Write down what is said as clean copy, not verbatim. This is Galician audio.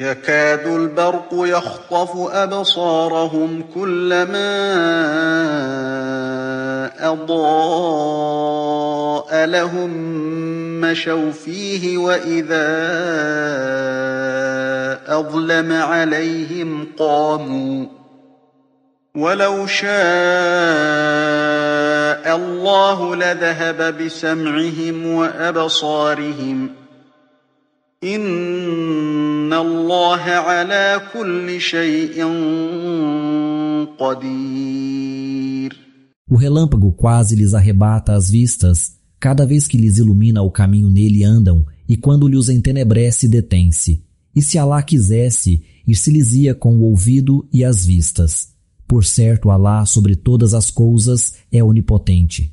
يكاد البرق يخطف أبصارهم كلما أضاء لهم مشوا فيه وإذا أظلم عليهم قاموا ولو شاء الله لذهب بسمعهم وأبصارهم إن الله على كل شيء قدير. O relâmpago quase lhes arrebata as vistas, cada vez que lhes ilumina o caminho nele andam, e quando lhes entenebrece detém-se. E se Alá quisesse, ir-se-lhes-ia com o ouvido e as vistas. Por certo, Alá sobre todas as coisas é onipotente.